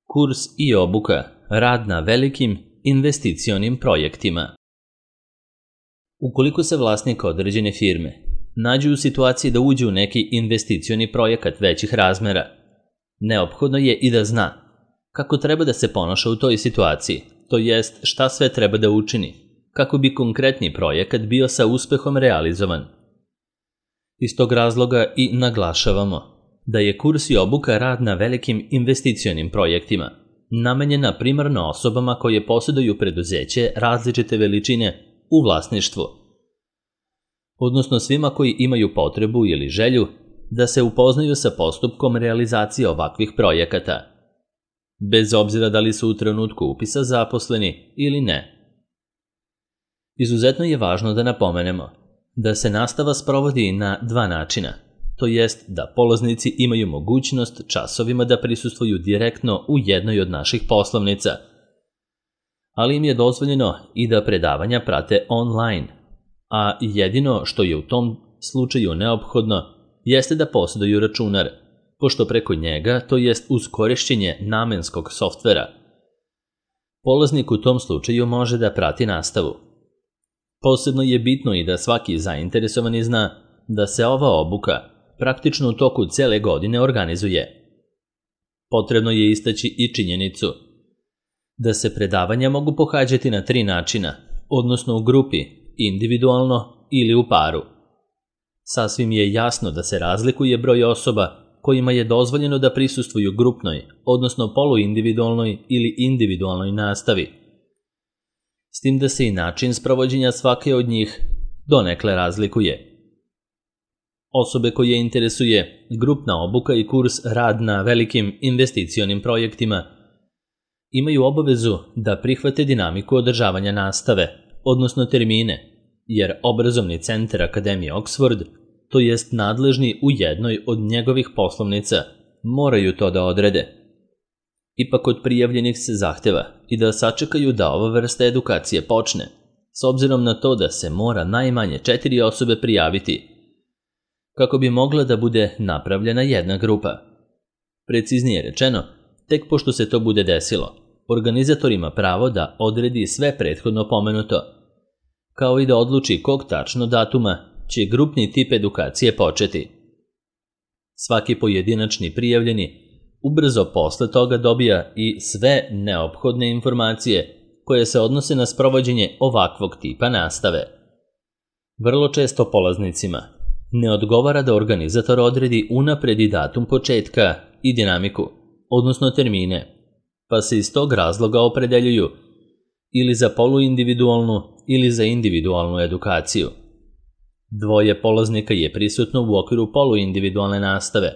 Kurs i obuka, rad na velikim investicionim projektima. Ukoliko se vlasnik određene firme nađe u situaciji da uđe u neki investicioni projekat većih razmera, neophodno je i da zna kako treba da se ponaša u toj situaciji, to jest šta sve treba da učini, kako bi konkretni projekat bio sa uspehom realizovan. Iz tog razloga i naglašavamo da je kurs i obuka rad na velikim investicionim projektima namenjena primarno osobama koje posjeduju preduzeće različite veličine u vlasništvu, odnosno svima koji imaju potrebu ili želju da se upoznaju sa postupkom realizacije ovakvih projekata, bez obzira da li su u trenutku upisa zaposleni ili ne. Izuzetno je važno da napomenemo da se nastava sprovodi na dva načina, to jest da polaznici imaju mogućnost časovima da prisustvuju direktno u jednoj od naših poslovnica, ali im je dozvoljeno i da predavanja prate online, a jedino što je u tom slučaju neophodno jeste da posjeduju računar, pošto preko njega, to jest uz korišćenje namenskog softvera, polaznik u tom slučaju može da prati nastavu. Posebno je bitno i da svaki zainteresovani zna da se ova obuka praktično u toku cele godine organizuje. Potrebno je istaći i činjenicu da se predavanja mogu pohađati na 3 načina, odnosno u grupi, individualno ili u paru. Sasvim je jasno da se razlikuje broj osoba kojima je dozvoljeno da prisustvuju grupnoj, odnosno poluindividualnoj ili individualnoj nastavi, s tim da se i način sprovođenja svake od njih donekle razlikuje. Osobe koje interesuje grupna obuka i kurs rad na velikim investicionim projektima imaju obavezu da prihvate dinamiku održavanja nastave, odnosno termine, jer obrazovni centar Akademije Oxford, to jest nadležni u jednoj od njegovih poslovnica, moraju to da odrede. Ipak kod prijavljenih se zahteva i da sačekaju da ova vrsta edukacije počne, s obzirom na to da se mora najmanje 4 osobe prijaviti, kako bi mogla da bude napravljena jedna grupa. Preciznije rečeno, tek pošto se to bude desilo, organizator ima pravo da odredi sve prethodno pomenuto, kao i da odluči kog tačno datuma će grupni tip edukacije početi. Svaki pojedinačni prijavljeni ubrzo posle toga dobija i sve neophodne informacije koje se odnose na sprovođenje ovakvog tipa nastave. Vrlo često polaznicima ne odgovara da organizator odredi unapred i datum početka i dinamiku, odnosno termine, pa se iz tog razloga opredeljuju ili za poluindividualnu ili za individualnu edukaciju. 2 polaznika je prisutno u okviru poluindividualne nastave,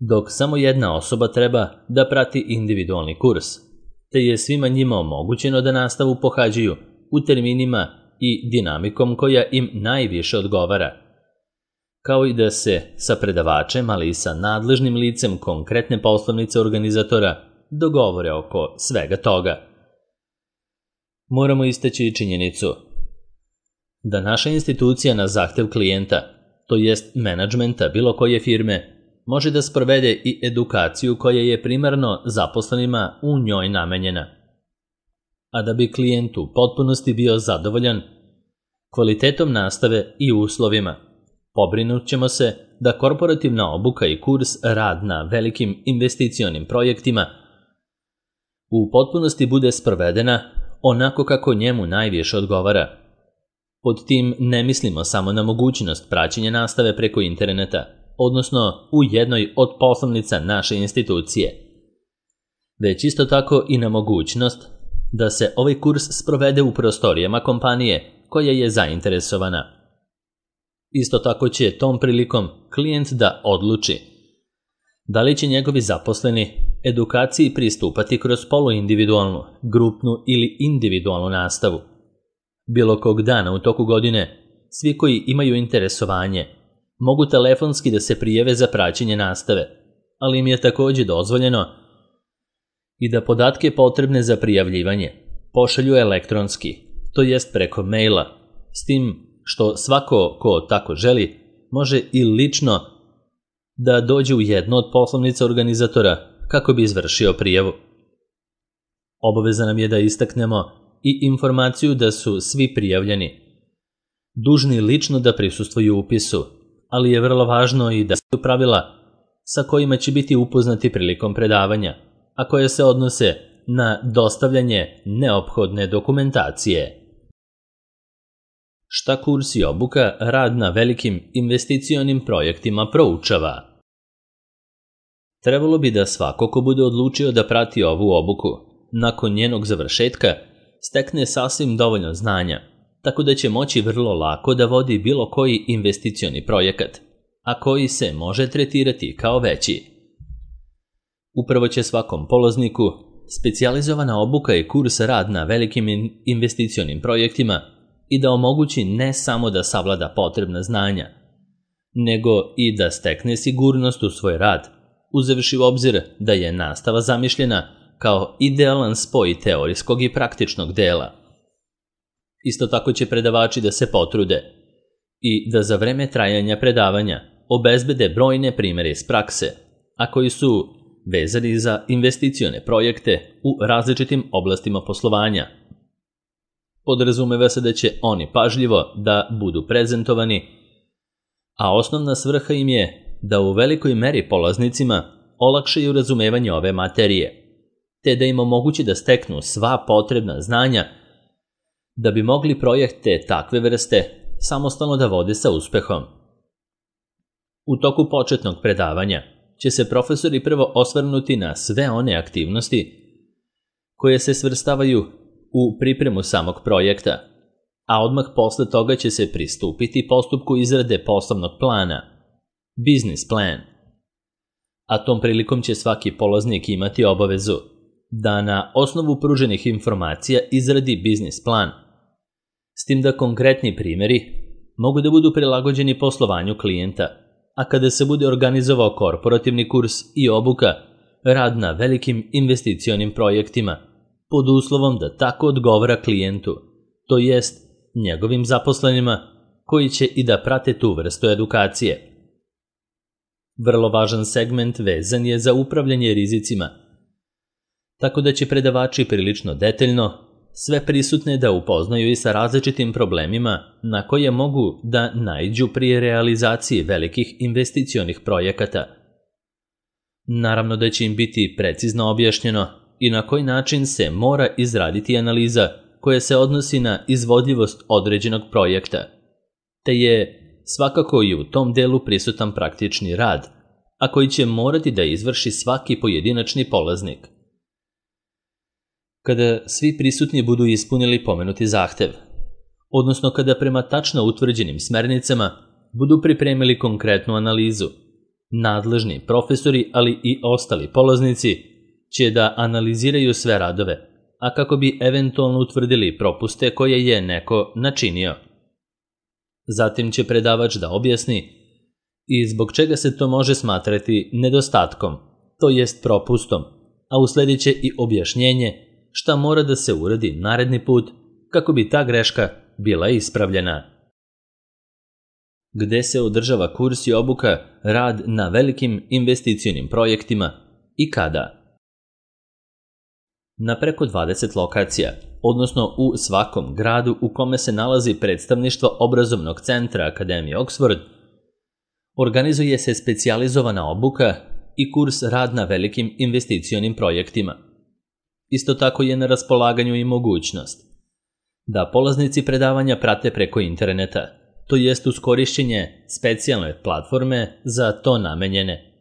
dok samo jedna osoba treba da prati individualni kurs, te je svima njima omogućeno da nastavu pohađaju u terminima i dinamikom koja im najviše odgovara, kao i da se sa predavačem, ali i sa nadležnim licem konkretne poslovnice organizatora dogovore oko svega toga. Moramo istaći i činjenicu da naša institucija na zahtev klijenta, to jest menadžmenta bilo koje firme, može da sprovede i edukaciju koja je primarno zaposlenima u njoj namenjena. A da bi klijent u potpunosti bio zadovoljan kvalitetom nastave i uslovima, pobrinut ćemo se da korporativna obuka i kurs rad na velikim investicionim projektima u potpunosti bude sprovedena onako kako njemu najviše odgovara. Pod tim ne mislimo samo na mogućnost praćenja nastave preko interneta, odnosno u jednoj od poslovnica naše institucije, već isto tako i na mogućnost da se ovaj kurs sprovede u prostorijama kompanije koja je zainteresovana. Isto tako će tom prilikom klijent da odluči da li će njegovi zaposleni edukaciji pristupati kroz poluindividualnu, grupnu ili individualnu nastavu. Bilo kog dana u toku godine, svi koji imaju interesovanje mogu telefonski da se prijave za praćenje nastave, ali im je također dozvoljeno i da podatke potrebne za prijavljivanje pošalju elektronski, to jest preko maila, s tim što svako ko tako želi može i lično da dođe u jednu od poslovnica organizatora kako bi izvršio prijavu. Obaveza nam je da istaknemo i informaciju da su svi prijavljeni dužni lično da prisustvuju upisu, ali je vrlo važno i da su pravila sa kojima će biti upoznati prilikom predavanja, a koje se odnose na dostavljanje neophodne dokumentacije. Šta kurs i obuka rad na velikim investicionim projektima proučava? Trebalo bi da svako ko bude odlučio da prati ovu obuku, nakon njenog završetka, stekne sasvim dovoljno znanja, tako da će moći vrlo lako da vodi bilo koji investicioni projekat, a koji se može tretirati kao veći. Upravo će svakom polazniku specijalizovana obuka i kurs rad na velikim investicionim projektima i da omogući ne samo da savlada potrebna znanja, nego i da stekne sigurnost u svoj rad, uzevši u obzir da je nastava zamišljena kao idealan spoj teorijskog i praktičnog dela. Isto tako će predavači da se potrude i da za vreme trajanja predavanja obezbede brojne primere iz prakse, a koji su vezani za investicione projekte u različitim oblastima poslovanja. Podrazumeva se da će oni pažljivo da budu prezentovani, a osnovna svrha im je da u velikoj meri polaznicima olakšaju razumevanje ove materije, te da im omogući da steknu sva potrebna znanja da bi mogli projekte takve vrste samostalno da vode sa uspehom. U toku početnog predavanja će se profesori prvo osvrnuti na sve one aktivnosti koje se svrstavaju u pripremu samog projekta, a odmah posle toga će se pristupiti postupku izrade poslovnog plana, business plan. A tom prilikom će svaki polaznik imati obavezu da na osnovu pruženih informacija izradi biznis plan, s tim da konkretni primjeri mogu da budu prilagođeni poslovanju klijenta, a kada se bude organizovao korporativni kurs i obuka, rad na velikim investicionim projektima, pod uslovom da tako odgovara klijentu, to jest njegovim zaposlenima koji će i da prate tu vrstu edukacije. Vrlo važan segment vezan je za upravljanje rizicima, tako da će predavači prilično detaljno sve prisutne da upoznaju i sa različitim problemima na koje mogu da naiđu pri realizaciji velikih investicionih projekata. Naravno da će im biti precizno objašnjeno i na koji način se mora izraditi analiza koja se odnosi na izvodljivost određenog projekta, te je svakako i u tom delu prisutan praktični rad, a koji će morati da izvrši svaki pojedinačni polaznik. Kada svi prisutni budu ispunili pomenuti zahtev, odnosno kada prema tačno utvrđenim smernicama budu pripremili konkretnu analizu, nadležni profesori, ali i ostali polaznici će da analiziraju sve radove, a kako bi eventualno utvrdili propuste koje je neko načinio. Zatim će predavač da objasni i zbog čega se to može smatrati nedostatkom, to jest propustom, a usledit će i objašnjenje šta mora da se uradi naredni put kako bi ta greška bila ispravljena. Gde se održava kurs i obuka rad na velikim investicionim projektima i kada? Na preko 20 lokacija, odnosno u svakom gradu u kome se nalazi predstavništvo obrazovnog centra Akademije Oxford, organizuje se specijalizovana obuka i kurs rad na velikim investicionim projektima. Isto tako je na raspolaganju i mogućnost da polaznici predavanja prate preko interneta, to jest uz korišćenje specijalne platforme za to namenjene.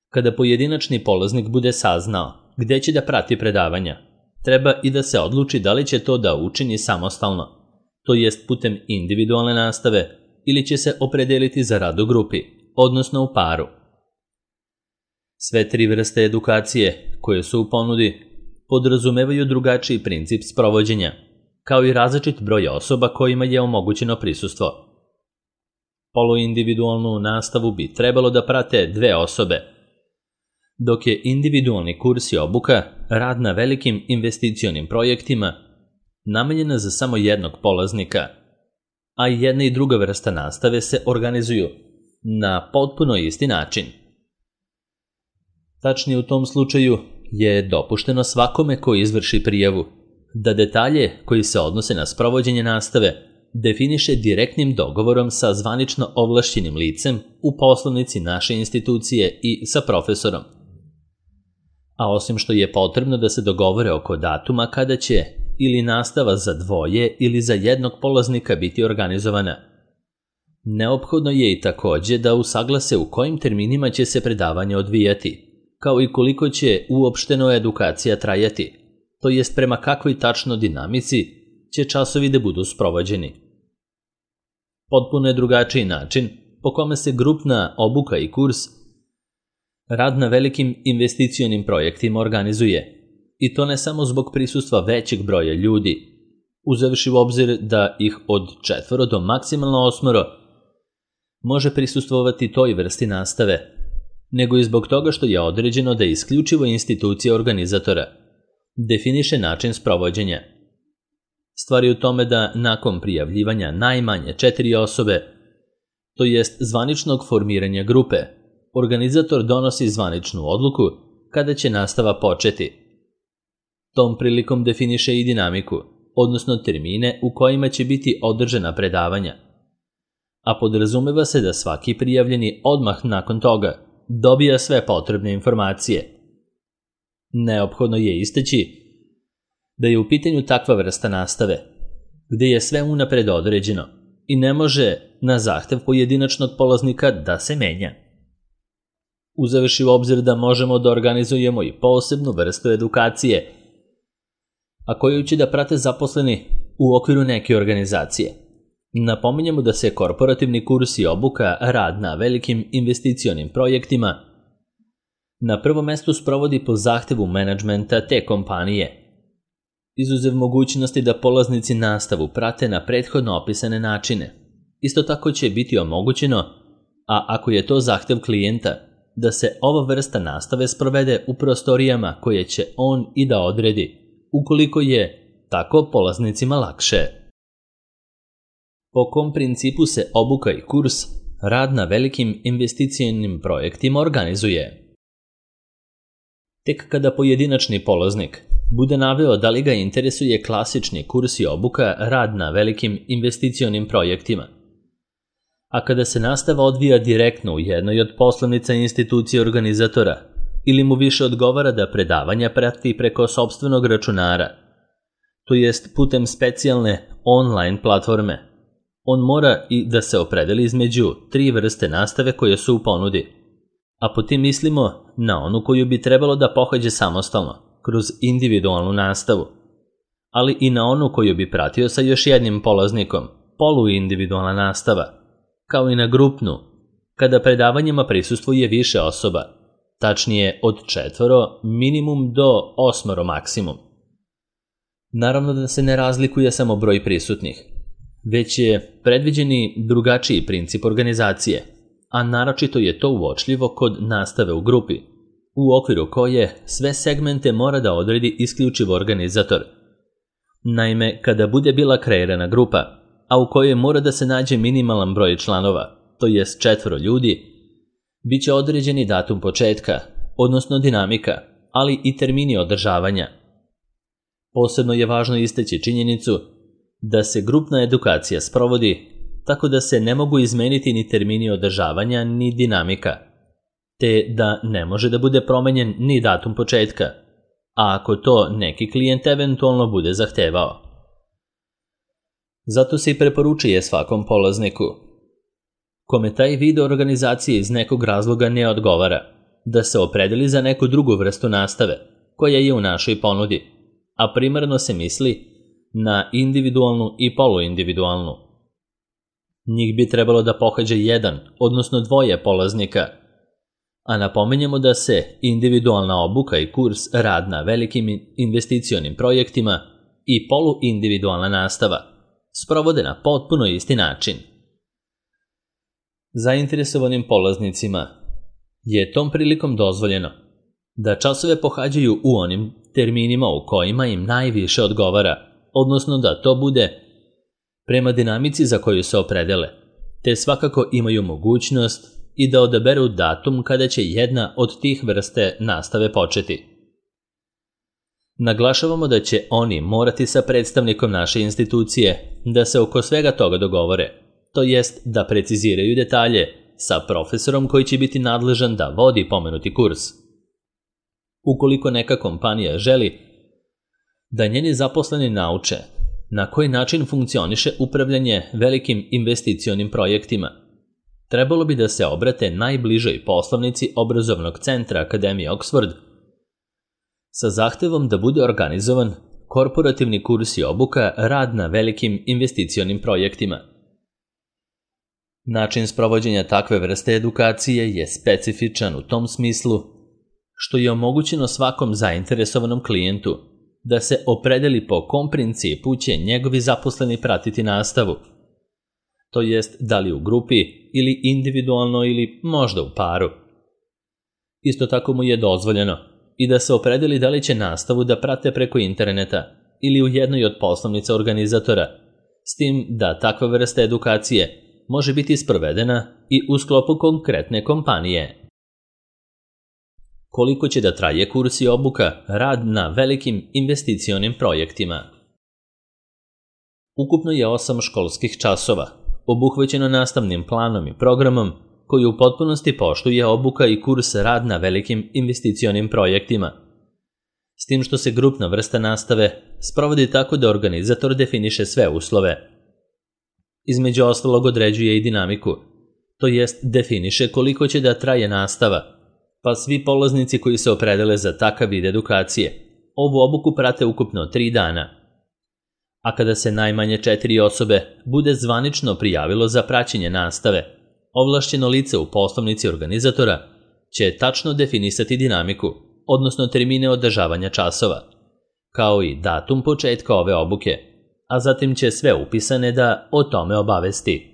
Kada pojedinačni polaznik bude saznao gde će da prati predavanja, treba i da se odluči da li će to da učini samostalno, to jest putem individualne nastave, ili će se opredeliti za rad u grupi, odnosno u paru. Sve tri vrste edukacije koje su u ponudi podrazumevaju drugačiji princip sprovođenja, kao i različit broj osoba kojima je omogućeno prisustvo. Poluindividualnu nastavu bi trebalo da prate 2 osobe, dok je individualni kurs i obuka rad na velikim investicionim projektima namenjena za samo jednog polaznika, a i jedna i druga vrsta nastave se organizuju na potpuno isti način. Tačnije u tom slučaju je dopušteno svakome ko izvrši prijavu da detalje koji se odnose na sprovođenje nastave definiše direktnim dogovorom sa zvanično ovlašćenim licem u poslovnici naše institucije i sa profesorom. A osim što je potrebno da se dogovore oko datuma kada će ili nastava za dvoje ili za jednog polaznika biti organizovana, neophodno je i takođe da usaglase u kojim terminima će se predavanje odvijati, kao i koliko će uopšteno edukacija trajati, to jest prema kakvoj tačno dinamici će časovi da budu sprovođeni. Potpuno je drugačiji način po kome se grupna obuka i kurs, rad na velikim investicionim projektima organizuje, i to ne samo zbog prisustva većeg broja ljudi, uzevši u obzir da ih od 4 do maksimalno 8 može prisustvovati toj vrsti nastave, nego i zbog toga što je određeno da isključivo institucija organizatora definiše način sprovođenja. Stvar je u tome da nakon prijavljivanja najmanje 4 osobe, to jest zvaničnog formiranja grupe, organizator donosi zvaničnu odluku kada će nastava početi. Tom prilikom definiše i dinamiku, odnosno termine u kojima će biti održana predavanja, a podrazumeva se da svaki prijavljeni odmah nakon toga dobija sve potrebne informacije. Neophodno je istaći da je u pitanju takva vrsta nastave, gde je sve unapred određeno i ne može na zahtev pojedinačnog polaznika da se menja. Uzevši u obzir da možemo da organizujemo i posebnu vrstu edukacije, a koju će da prate zaposleni u okviru neke organizacije. Napominjemo da se korporativni kurs i obuka rad na velikim investicionim projektima na prvom mestu sprovodi po zahtevu menadžmenta te kompanije, izuzev mogućnosti da polaznici nastavu prate na prethodno opisane načine. Isto tako će biti omogućeno, a ako je to zahtev klijenta, da se ova vrsta nastave sprovede u prostorijama koje će on i da odredi, ukoliko je tako polaznicima lakše. Po kom principu se obuka i kurs rad na velikim investicionim projektima organizuje? Tek kada pojedinačni polaznik bude naveo da li ga interesuje klasični kurs i obuka rad na velikim investicionim projektima, a kada se nastava odvija direktno u jednoj od poslovnica institucije organizatora ili mu više odgovara da predavanja prati preko sopstvenog računara, to jest putem specijalne online platforme, on mora i da se opredeli između 3 vrste nastave koje su u ponudi, a po tim mislimo na onu koju bi trebalo da pohađe samostalno, kroz individualnu nastavu, ali i na onu koju bi pratio sa još jednim polaznikom, poluindividualna nastava, kao i na grupnu, kada predavanjima prisustvuje više osoba, tačnije od 4 minimum do 8 maksimum. Naravno da se ne razlikuje samo broj prisutnih, već je predviđeni drugačiji princip organizacije, a naročito je to uočljivo kod nastave u grupi, u okviru koje sve segmente mora da odredi isključivo organizator. Naime, kada bude bila kreirana grupa, a u kojoj mora da se nađe minimalan broj članova, to jest 4 ljudi, bit će određeni datum početka, odnosno dinamika, ali i termini održavanja. Posebno je važno istaći činjenicu da se grupna edukacija sprovodi tako da se ne mogu izmeniti ni termini održavanja ni dinamika, te da ne može da bude promenjen ni datum početka, a ako to neki klijent eventualno bude zahtevao. Zato se i preporučuje svakom polazniku, kome taj vid organizacije iz nekog razloga ne odgovara, da se opredeli za neku drugu vrstu nastave koja je u našoj ponudi, a primarno se misli na individualnu i poluindividualnu. Njih bi trebalo da pohađa 1, odnosno 2 polaznika, a napominjemo da se individualna obuka i kurs rad na velikim investicionim projektima i poluindividualna nastava sprovode na potpuno isti način. Zainteresovanim polaznicima je tom prilikom dozvoljeno da časove pohađaju u onim terminima u kojima im najviše odgovara, odnosno da to bude prema dinamici za koju se opredele, te svakako imaju mogućnost i da odaberu datum kada će jedna od tih vrste nastave početi. Naglašavamo da će oni morati sa predstavnikom naše institucije da se oko svega toga dogovore, to jest da preciziraju detalje sa profesorom koji će biti nadležan da vodi pomenuti kurs. Ukoliko neka kompanija želi da njeni zaposleni nauče na koji način funkcioniše upravljanje velikim investicionim projektima, trebalo bi da se obrate najbližoj poslovnici obrazovnog centra Akademije Oxford sa zahtevom da bude organizovan korporativni kurs i obuka rad na velikim investicionim projektima. Način sprovođenja takve vrste edukacije je specifičan u tom smislu što je omogućeno svakom zainteresovanom klijentu da se opredeli po kom principu će njegovi zaposleni pratiti nastavu, to jest da li u grupi ili individualno ili možda u paru. Isto tako mu je dozvoljeno i da se opredeli da li će nastavu da prate preko interneta ili u jednoj od poslovnica organizatora, s tim da takva vrsta edukacije može biti sprovedena i u sklopu konkretne kompanije. Koliko će da traje kurs i obuka rad na velikim investicionim projektima? Ukupno je 8 školskih časova, obuhvaćeno nastavnim planom i programom koji u potpunosti poštuje obuka i kurs rad na velikim investicionim projektima. S tim što se grupna vrsta nastave sprovodi tako da organizator definiše sve uslove. Između ostalog određuje i dinamiku, to jest definiše koliko će da traje nastava, pa svi polaznici koji se opredele za takav vid edukacije ovu obuku prate ukupno 3 dana. A kada se najmanje 4 osobe bude zvanično prijavilo za praćenje nastave, ovlašćeno lice u poslovnici organizatora će tačno definisati dinamiku, odnosno termine održavanja časova, kao i datum početka ove obuke, a zatim će sve upisane da o tome obavesti.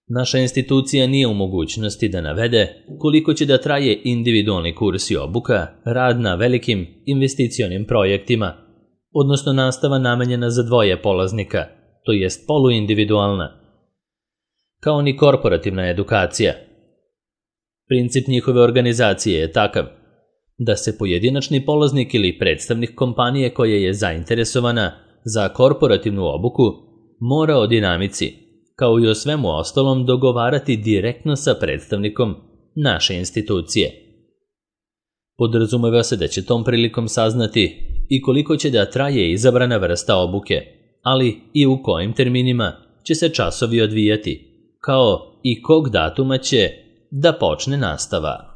Naša institucija nije u mogućnosti da navede koliko će da traje individualni kurs i obuka rad na velikim investicionim projektima, odnosno nastava namenjena za 2 polaznika, to jest poluindividualna, kao ni korporativna edukacija. Princip njihove organizacije je takav da se pojedinačni polaznik ili predstavnik kompanije koja je zainteresovana za korporativnu obuku mora o dinamici, kao i o svemu ostalom, dogovarati direktno sa predstavnikom naše institucije. Podrazumeva se da će tom prilikom saznati i koliko će da traje izabrana vrsta obuke, ali i u kojim terminima će se časovi odvijati, kao i kog datuma će da počne nastava.